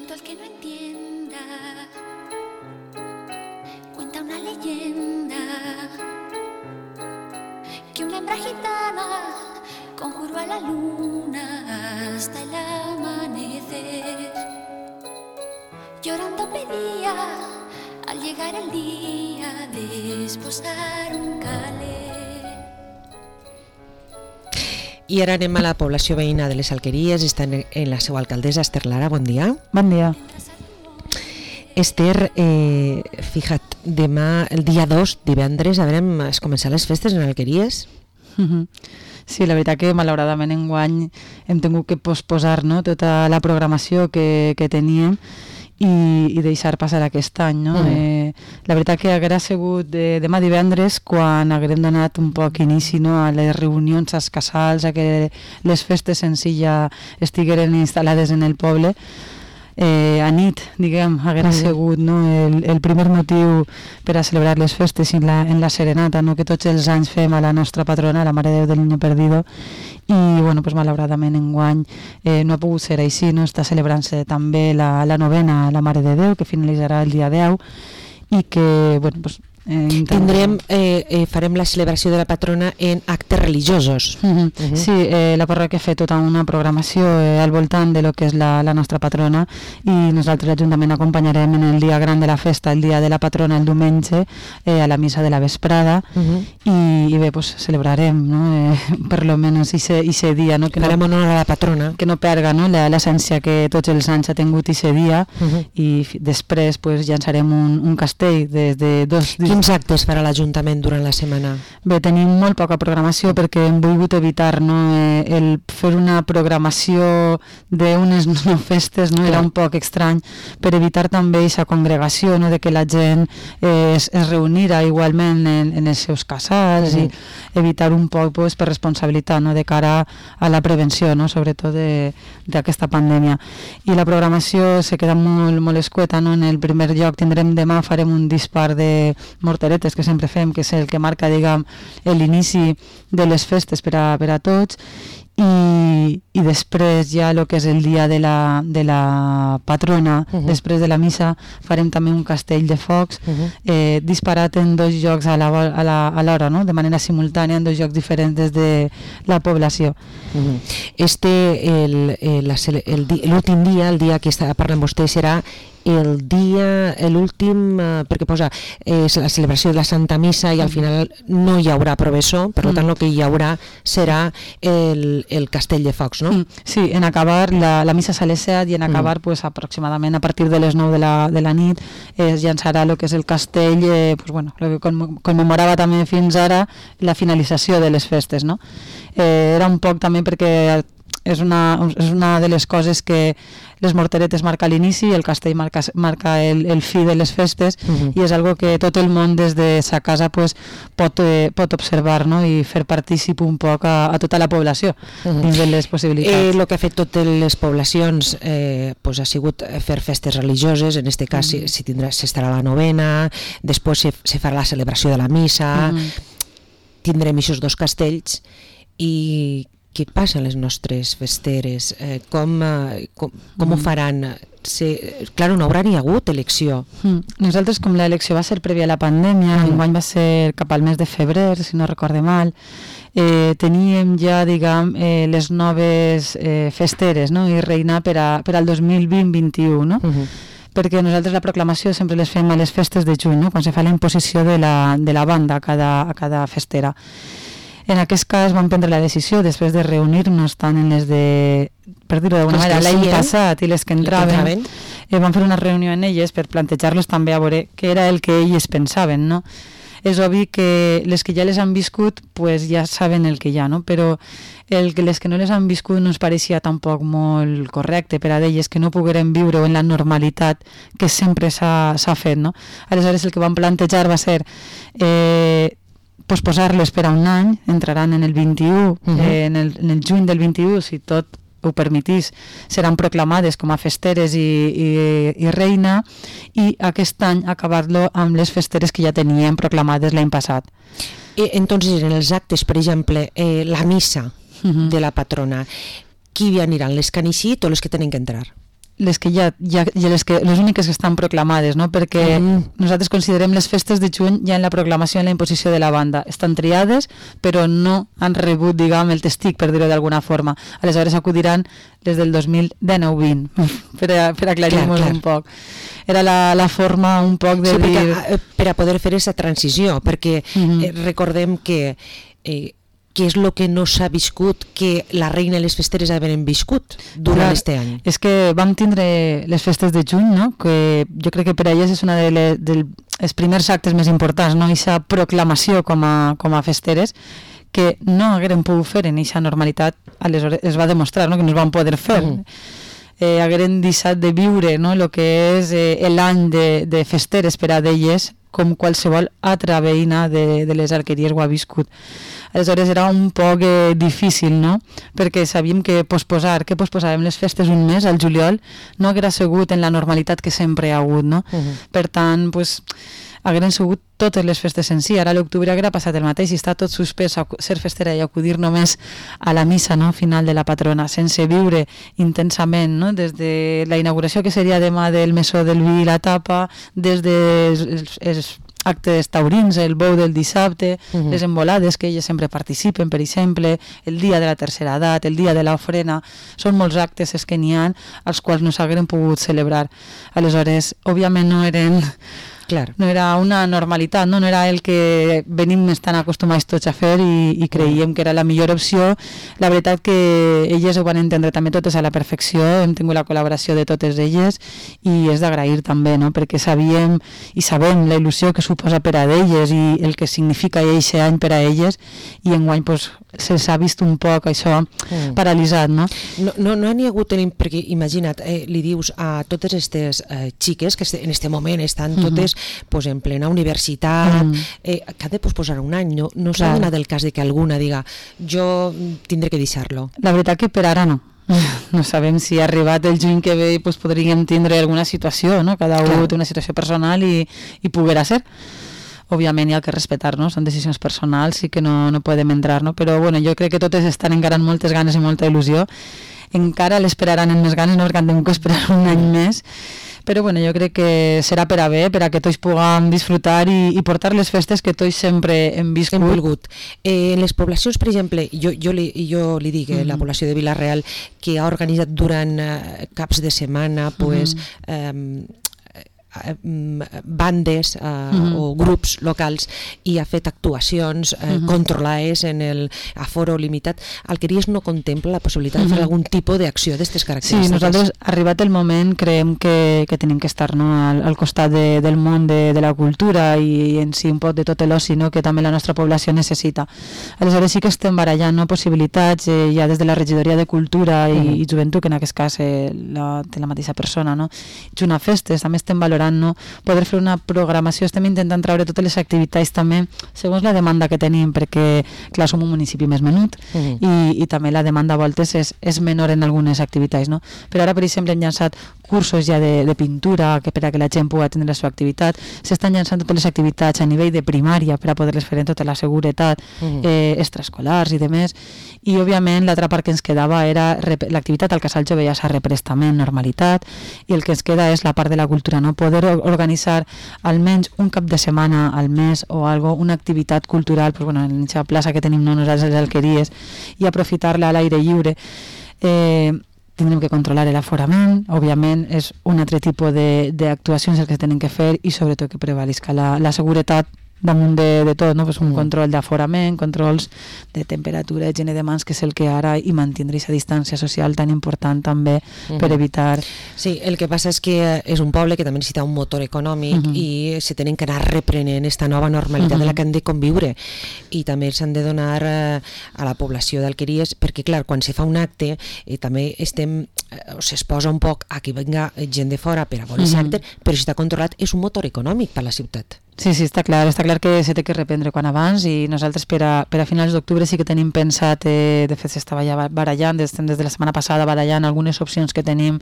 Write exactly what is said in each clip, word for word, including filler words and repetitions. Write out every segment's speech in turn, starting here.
tonto el que no entienda. Cuenta una leyenda que una hembra gitana conjuró a la luna hasta el amanecer. Llorando pedía al llegar el día de esposar un caler. I ara anem a la població veïna de les Alqueries. Està en la seva alcaldessa, Esther Lara. Bon dia. Bon dia. Esther, eh, fija't, demà, el dia dos, divendres, haurem es començar les festes en Alqueries? Mm-hmm. Sí, la veritat que malauradament enguany hem tingut que posposar, no?, tota la programació que, que teníem i, i deixar passar aquest any, no? Mm. Eh, la veritat que haguera sigut de, demà divendres quan haguem donat un poc inici, no?, a les reunions, als casals, a que les festes en si ja estigueren instal·lades en el poble. Eh, a nit, diguem, haguera mm. sigut, no?, el, el primer motiu per a celebrar les festes en la, en la serenata, no?, que tots els anys fem a la nostra patrona, la Mare de Déu del Niño Perdido, i bueno, pues, malauradament enguany eh, no ha pogut ser així, no? Està celebrant-se també la, la novena a la Mare de Déu, que finalitzarà el dia deu, i que, bueno, pues, Eh, tindrem, eh, eh, farem la celebració de la patrona en actes religiosos. Uh-huh. Uh-huh. Sí, eh, la parròquia ha fet tota una programació eh, al voltant de lo que és la, la nostra patrona, i nosaltres l'Ajuntament acompanyarem en el dia gran de la festa, el dia de la patrona, el diumenge, eh, a la missa de la vesprada. Uh-huh. i, i bé, pues, celebrarem, no? eh, per lo menos ese dia, no? Que farem no, honor a la patrona, que no perga, no?, l'essència que tots els anys ha tingut ese dia. Uh-huh. I f- després pues, llançarem un, un castell des de dos dies. Quins actes farà l'Ajuntament durant la setmana? Bé, tenim molt poca programació perquè hem volgut evitar, no, eh, el fer una programació d'unes no festes, no? Era un poc estrany, per evitar també aquesta congregació, no?, de que la gent eh, es, es reunira igualment en, en els seus casals, uh-huh. i evitar un poc pues, per responsabilitat, no?, de cara a la prevenció, no?, sobretot d'aquesta pandèmia. I la programació se queda molt, molt escueta, no? En el primer lloc tindrem demà, farem un dispar de morteretes que sempre fem, que és el que marca, diguem, l'inici de les festes per a, per a tots, i, i després ja el que és el dia de la, de la patrona, uh-huh. després de la missa farem també un castell de focs, uh-huh. eh, disparat en dos llocs a l'hora, a la, a l'hora, no?, de manera simultània, en dos llocs diferents des de la població. Uh-huh. Este, el, el, el, el, l'últim dia, el dia que està parlant vostè, serà el dia, l'últim, eh, perquè posa, és la celebració de la Santa Missa i al final no hi haurà professó, per tant el que hi haurà serà el, el castell de focs, no? Sí, en acabar, la, la missa a les set, i en acabar mm. pues, aproximadament a partir de les nou de la, de la nit es llançarà el que és el castell, eh, pues, bueno, el que commemorava també fins ara la finalització de les festes, no? Eh, era un poc també perquè és una, és una de les coses que les morteretes marca l'inici i el castell marca, marca el, el fi de les festes, uh-huh. i és algo que tot el món des de sa casa pues, pot, eh, pot observar, no?, i fer partícip un poc a, a tota la població uh-huh. dins de les possibilitats. El eh, que ha fet totes les poblacions eh, pues, ha sigut fer festes religioses, en aquest cas uh-huh. si, si tindrà, s'estarà la novena, després se, se farà la celebració de la missa, uh-huh. tindrem aquests dos castells. I què passa a les nostres festeres? Eh, com com, com mm. ho faran? Se, clar, no haurà ni hagut elecció. Mm. Nosaltres, com l'elecció va ser prèvia a la pandèmia, mm. enguany va ser cap al mes de febrer, si no recorde mal, eh, teníem ja, diguem, eh, les noves eh, festeres, no?, i reinar per, a, per al dos mil vint vint-i-u, no? Mm-hmm. Perquè nosaltres la proclamació sempre les fem a les festes de juny, no?, quan se fa la imposició de la, de la banda a cada, a cada festera. En aquest cas vam prendre la decisió, després de reunir-nos tant en les de, per dir-ho d'alguna manera, l'any passat i les que entraven, eh, vam fer una reunió en elles per plantejar-los també a veure què era el que elles pensaven, no? És obvi que les que ja les han viscut pues ja saben el que hi ha, no? Però el que les que no les han viscut no ens pareixia tampoc molt correcte per a elles que no pogueren viure en la normalitat que sempre s'ha, s'ha fet, no? Aleshores el que vam plantejar va ser eh, posposar-les per a un any, entraran en el vint-i-u, uh-huh. eh, en, el, en el juny del vint-i-u, si tot ho permetís, seran proclamades com a festeres i, i, i reina, i aquest any acabar-lo amb les festeres que ja tenien proclamades l'any passat. I, entonces, en els actes, per exemple, eh, la missa uh-huh. de la patrona, qui hi aniran, les que han eixit o les que tenen que entrar? les que ja, ja, ja les, que, les úniques que estan proclamades, no? Perquè mm. nosaltres considerem les festes de juny ja en la proclamació, en la imposició de la banda. Estan triades, però no han rebut, diguem, el testic, per dir-ho d'alguna forma. Aleshores acudiran des del dos mil dinou vint, per, a, per aclarir-nos un poc. Era la, la forma un poc de sí, dir... Perquè, per a poder fer aquesta transició, perquè mm-hmm. eh, recordem que... Eh, què és el que no s'ha viscut que la reina i les festeres havien viscut durant aquest any? És que vam tindre les festes de juny, no? Que jo crec que per a elles és una de les, dels primers actes més importants, no? Aquesta proclamació com a, com a festeres, que no hagueren pogut fer en aquesta normalitat, aleshores es va demostrar, no? Que no es van poder fer. Mm. Eh, hagueren deixat de viure, no? El que és eh, l'any de, de festeres per a d'elles, com qualsevol altra veïna de, de les Alqueries ho ha viscut. Aleshores era un poc eh, difícil, no? Perquè sabíem que posposar, que posposàvem les festes un mes, al juliol, no haguera sigut en la normalitat que sempre hi ha hagut, no? Uh-huh. Per tant, pues, hagueren sigut totes les festes en si. Ara a l'octubre haguera passat el mateix i està tot suspès a ser festera i acudir només a la missa, no? Final de la patrona, sense viure intensament, no? Des de la inauguració que seria demà del Mesó del Vi i la tapa, des de els, els actes taurins, el bou del dissabte, uh-huh. les embolades que elles sempre participen, per exemple, el dia de la tercera edat, el dia de l'ofrena, són molts actes els que n'hi ha als quals no s'hagueren pogut celebrar. Aleshores, òbviament no eren... Clar. No era una normalitat, no? No era el que venim estan acostumats tots a fer i, i creiem que era la millor opció. La veritat que elles ho van entendre també totes a la perfecció, hem tingut la col·laboració de totes elles i és d'agrair també, no? Perquè sabíem i sabem la il·lusió que suposa per a elles i el que significa aquest any per a elles i enguany pues, se'ls ha vist un poc això mm. paralitzat, no? No, no, no n'hi ha hagut, perquè imagina't, eh, li dius a totes aquestes eh, xiques que en aquest moment estan totes mm-hmm. pues, en plena universitat, mm. eh, que ha de posposar un any, no, no s'ha donat el cas de que alguna diga jo tindré que deixar-lo. La veritat que per ara no. No sabem si ha arribat el juny que ve i pues, podríem tindre alguna situació, no? Cada un té una situació personal i, i poguera ser. Òbviament hi ha que respectar, no? Són decisions personals i que no, no podem entrar, no? Però bueno, jo crec que totes estan encara amb moltes ganes i molta il·lusió. Encara l'esperaran amb més ganes, no? Perquè han tingut que esperar un any més. Però bueno, jo crec que serà per a bé, per a que tots puguem disfrutar i, i portar les festes que tots sempre hem viscut. Hem volgut. Eh, en les poblacions, per exemple, jo, jo, li, jo li dic, eh, mm. la població de Vila-real, que ha organitzat durant eh, caps de setmana, pues, mm. eh, bandes eh, mm-hmm. o grups locals i ha fet actuacions eh, mm-hmm. controlades en el aforo limitat. Alqueries no contempla la possibilitat mm-hmm. de fer algun tipus d'acció d'aquestes característiques? Sí, nosaltres, arribat el moment, creiem que, que tenim que estar, no, al, al costat de, del món de, de la cultura i en si un poc de tot l'oci, no, que també la nostra població necessita. Aleshores sí que estem barallant, no, possibilitats eh, ja des de la regidoria de Cultura i, mm-hmm. i Joventut, que en aquest cas eh, la, té la mateixa persona, no? Junt a festes, també estem valorant, no, poder fer una programació, estem intentant treure totes les activitats també segons la demanda que tenim, perquè clar, som un municipi més menut mm. i, i també la demanda a voltes és, és menor en algunes activitats, no? Però ara per exemple hem llançat cursos ja de, de pintura que per a que la gent pugui atendre la seva activitat, s'estan llançant totes les activitats a nivell de primària per a poder-les fer en tota la seguretat mm. eh, extraescolars i demés, i òbviament l'altra part que ens quedava era l'activitat al Casal Jove ja s'ha reprès també en normalitat i el que ens queda és la part de la cultura, no? Poder organitzar almenys un cap de setmana al mes o algo, una activitat cultural pues, bueno, en la plaça que tenim no, nosaltres les Alqueries i aprofitar-la a l'aire lliure. Eh, tindrem que controlar l'aforament, òbviament és un altre tipus d'actuacions el que tenen que fer i sobretot que prevalisca la, la seguretat damunt de, de tot, no? Pues un mm. control d'aforament, controls de temperatura, higiene de mans, que és el que ara, i mantindre aquesta distància social tan important també mm-hmm. per evitar... Sí, el que passa és que és un poble que també necessita un motor econòmic mm-hmm. i se tenen que anar reprenent aquesta nova normalitat mm-hmm. de la que han de conviure i també s'han de donar eh, a la població d'Alqueries, perquè clar, quan se fa un acte eh, també estem, eh, es posa un poc a que venga gent de fora per a veure mm-hmm. l'acte, però si està controlat és un motor econòmic per a la ciutat. Sí, sí, està clar, està clar que se té que reprendre quan abans i nosaltres per a, per a finals d'octubre sí que tenim pensat, eh, de fet s'estava ja barallant, des, des de la setmana passada barallant algunes opcions que tenim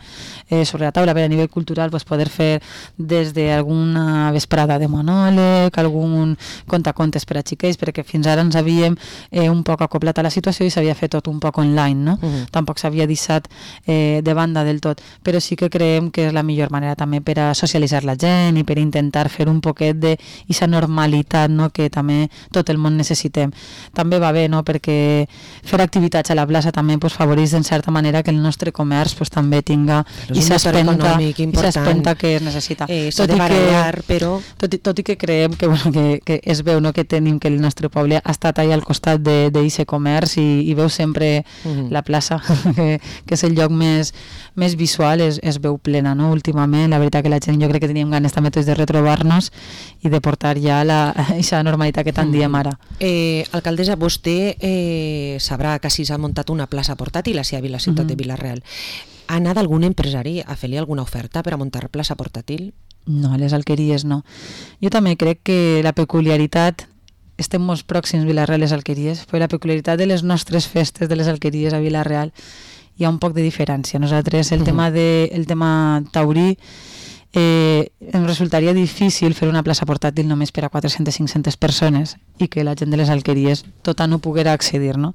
eh, sobre la taula per a nivell cultural, pues, poder fer des d'alguna vesprada de monòleg, algun contacontes per a xiquets, perquè fins ara ens havíem eh, un poc acoplat a la situació i s'havia fet tot un poc online, no? Uh-huh. Tampoc s'havia deixat eh, de banda del tot, però sí que creiem que és la millor manera també per a socialitzar la gent i per intentar fer un poquet de i aquesta normalitat, no?, que també tot el món necessitem. També va bé, no?, perquè fer activitats a la plaça també pues, favoreix en certa manera que el nostre comerç pues, també tinga aquesta espenta que es necessita. Eh, tot, i barallar, que, però... tot, i, tot i que creiem que, bueno, que, que es veu, no?, que tenim que el nostre poble ha estat allà al costat d'aquest comerç i, i veu sempre uh-huh. la plaça, que, que és el lloc més, més visual, es, es veu plena, no?, últimament. La veritat que la gent, jo crec que teníem ganes també de retrobar-nos i de portar ja la, aquesta normalitat que tant diem ara. Eh, alcaldessa, vostè eh, sabrà que si s'ha muntat una plaça portàtil a la ciutat uh-huh. de Vila-real. Ha anat algun empresari a fer-li alguna oferta per a muntar plaça portàtil? No, a les alqueries no. Jo també crec que la peculiaritat, estem molt pròxims Vila-real a les alqueries, però la peculiaritat de les nostres festes de les alqueries a Vila-real hi ha un poc de diferència. Nosaltres el, uh-huh. tema, de, el tema taurí Eh, em resultaria difícil fer una plaça portàtil només per a quatre-centes a cinc-centes persones i que la gent de les alqueries tota no poguera accedir, no?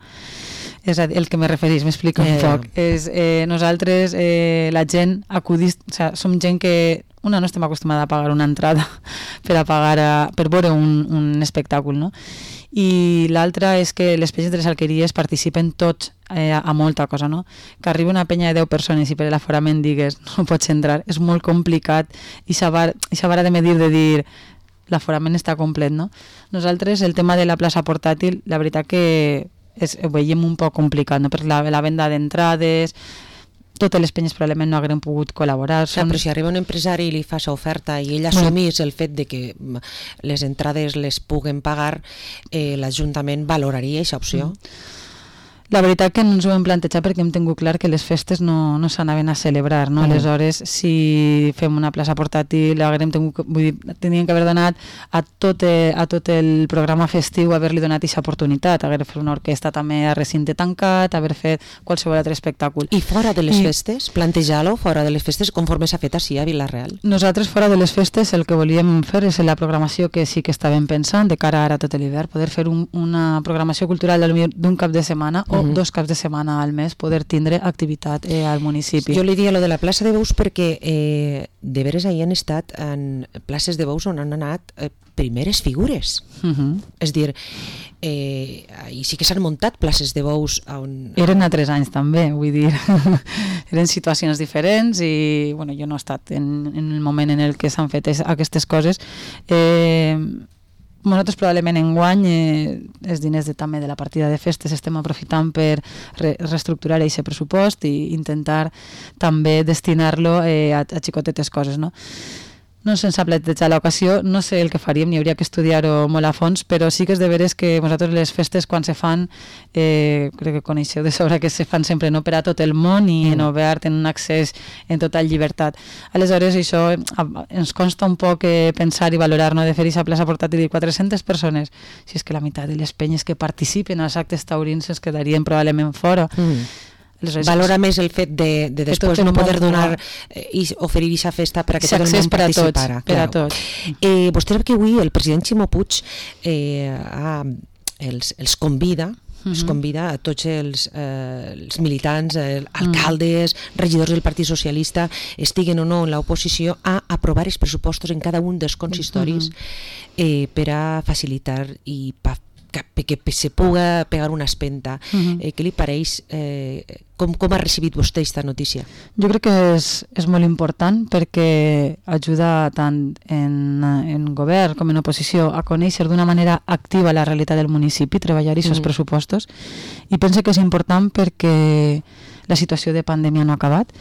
És a dir, el que me referís, m'explico eh. un poc. És, eh, nosaltres, eh, la gent acudís, o sea, som gent que una no estem acostumada a pagar una entrada per a pagar a, per veure un, un espectacle, no? I l'altra és que les penyes de les alqueries participen tots eh, a molta cosa, no? Que arriba una penya de deu persones i per l'aforament digues no pots entrar, és molt complicat i aquesta vara de medir de dir l'aforament està complet, no? Nosaltres el tema de la plaça portàtil, la veritat que és, ho veiem un poc complicat, no? Per la, la venda d'entrades, totes les penyes probablement no hagueren pogut col·laborar. Són... Però si arriba un empresari i li fa oferta i ell assumís el fet de que les entrades les puguen pagar, eh, l'Ajuntament valoraria aquesta opció? Mm. La veritat que no ens ho hem plantejat perquè hem tingut clar que les festes no, no s'anaven a celebrar, no? Mm. Aleshores, si fem una plaça portàtil, haguem tingut, vull dir, teníem que haver donat a tot, a tot el programa festiu, haver-li donat aquesta oportunitat, haver fet una orquestra també a recinte tancat, haver fet qualsevol altre espectacle. I fora de les I... festes? Plantejar-lo fora de les festes conforme s'ha fet així a Vila-real? Nosaltres fora de les festes el que volíem fer és la programació que sí que estàvem pensant de cara ara tot l'hivern, poder fer un, una programació cultural d'un cap de setmana o uh-huh. dos caps de setmana al mes, poder tindre activitat eh, al municipi. Jo li diria lo de la plaça de Bous perquè eh, de veres ahir han estat en places de Bous on han anat eh, primeres figures. Uh-huh. És dir, eh, i sí que s'han muntat places de Bous on... Eren a tres anys també, vull dir, eren situacions diferents i bueno, jo no he estat en, en el moment en el que s'han fet es, aquestes coses. Eh, Nosaltres probablement enguany eh, els diners de, també de la partida de festes estem aprofitant per re reestructurar aquest pressupost i intentar també destinar-lo eh, a, a xicotetes coses, no? No se'ns ha plantejat l'ocasió, no sé el que faríem, ni hauria que estudiar-ho molt a fons, però sí que és de veres que nosaltres les festes quan se fan, eh, crec que coneixeu de sobre que se fan sempre no per a tot el món i en obert, en un accés en total llibertat. Aleshores això ens consta un poc eh, pensar i valorar, no?, de fer aquesta plaça portàtil de quatre-centes persones, si és que la meitat de les penyes que participen als actes taurins es quedarien probablement fora. Mm. Valora més el fet de, de després no poder donar eh, i oferir aquesta festa per a que tot el món participara. Per a tots. Eh, vostè sap que avui el president Ximo Puig eh, ha, els, els convida uh-huh. els convida a tots els, eh, els militants, eh, alcaldes, uh-huh. regidors del Partit Socialista, estiguen o no en l'oposició, a aprovar els pressupostos en cada un dels consistoris uh-huh. eh, per a facilitar i pa que, que se puga pegar una espenta. Uh-huh. eh, què li pareix? Eh, com, com ha recibit vostè aquesta notícia? Jo crec que és, és molt important perquè ajuda tant en, en govern com en oposició a conèixer d'una manera activa la realitat del municipi, treballar aquests uh-huh. pressupostos, i penso que és important perquè la situació de pandèmia no ha acabat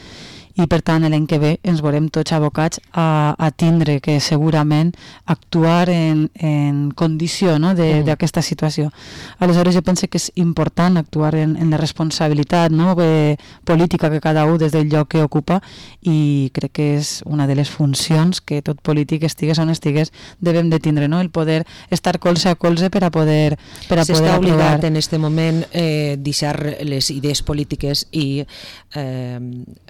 i per tant l'any que ve ens veurem tots abocats a, a tindre que segurament actuar en, en condició, no? d'aquesta mm. situació. Aleshores jo penso que és important actuar en, en la responsabilitat, no? eh, política que cada un des del lloc que ocupa, i crec que és una de les funcions que tot polític estigués on estigués devem de tindre, no? El poder estar colze a colze per a poder, per a poder S'està aprovar. obligat en aquest moment eh, deixar les idees polítiques i eh,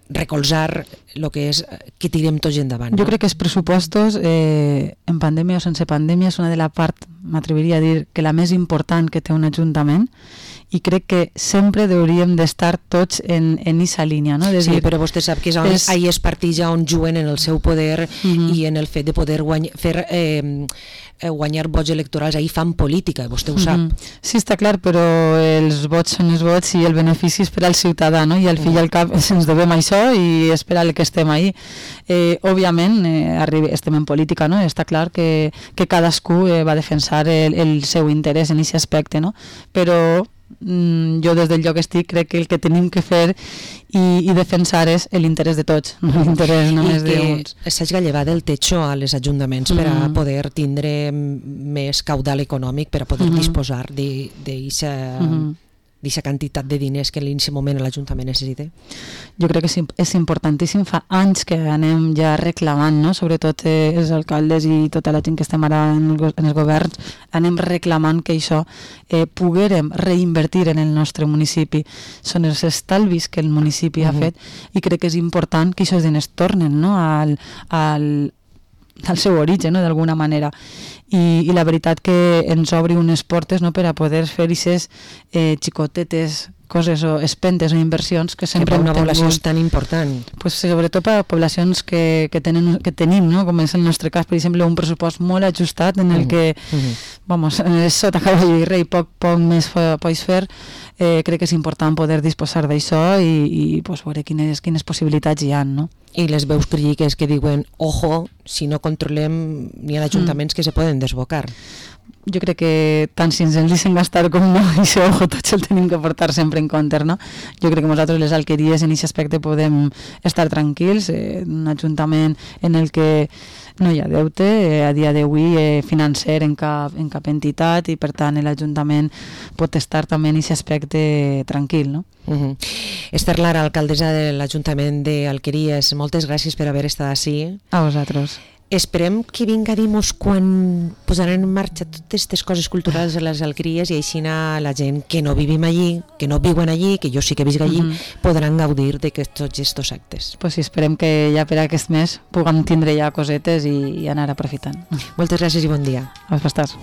recolzar el que és que tirem tots endavant. Jo no? crec que els pressupostos, eh, en pandèmia o sense pandèmia, és una de la part, m'atreviria a dir, que la més important que té un ajuntament, i crec que sempre hauríem d'estar tots en aquesta línia, no? De sí, dir, però vostè sap que és on, és... ahí és partits ja on juguen en el seu poder uh-huh. i en el fet de poder guany... fer eh, guanyar vots electorals, ahí fan política, vostè ho sap. Uh-huh. Sí, està clar, però els vots són els vots i el benefici és per al ciutadà, no? I al fi i al cap ens devem això i esperar que estem ahí. Eh, òbviament, eh, arribi, estem en política, no? Està clar que, que cadascú eh, va defensar el, el seu interès en aquest aspecte, no? Però jo des del lloc estic crec que el que tenim que fer i, i defensar és l'interès de tots, no l'interès només d'uns. I que s'hagi llevat el techo a les ajuntaments mm. per a poder tindre més caudal econòmic, per a poder mm-hmm. disposar d'aquesta mm-hmm. quantitat de diners que en aquest moment l'Ajuntament necessita. Jo crec que és importantíssim. Fa anys que anem ja reclamant, no? Sobretot eh, els alcaldes i tota la gent que estem ara en, el, en els governs, anem reclamant que això eh, poguérem reinvertir en el nostre municipi. Són els estalvis que el municipi uh-huh. ha fet, i crec que és important que aquests diners tornen, no? al, al al seu origen, no? D'alguna manera, I, i la veritat que ens obri unes portes, no? Per a poder fer aquestes eh, xicotetes coses o espentes o inversions que sempre que per una població és tan important, pues, sobretot per a poblacions que, que, tenen, que tenim, no? Com és el nostre cas, per exemple, un pressupost molt ajustat en el uh-huh. que uh-huh. vamos, sota cavall i rei poc, poc més pots fer. Eh, crec que és important poder disposar d'això i, i pues, veure quines, quines possibilitats hi ha, no? I les veus crítiques que diuen ojo, si no controlem, n'hi ha ajuntaments mm. que se poden desbocar. Jo crec que tant si ens el deixen gastar com no, i això, ojo, tots el tenim que portar sempre en compte, no? Jo crec que nosaltres les alqueries en aquest aspecte podem estar tranquils, eh, un ajuntament en el que no hi ha deute eh, a dia d'avui eh, financer en cap, en cap entitat, i per tant l'Ajuntament pot estar també en aquest aspecte tranquil, no? Uh-huh. Esther Lara, alcaldessa de l'Ajuntament d'Alqueries, moltes gràcies per haver estat ací. A vosaltres. Esperem que vinga a dir-nos quan posaran en marxa totes aquestes coses culturals a les alqueries, i així la gent que no vivim allí, que no viuen allí, que jo sí que visc allí, uh-huh. podran gaudir de tots aquests actes. Pues sí, esperem que ja per aquest mes puguem tindre ja cosetes i, i anar aprofitant. Moltes gràcies i bon dia. A vosaltres.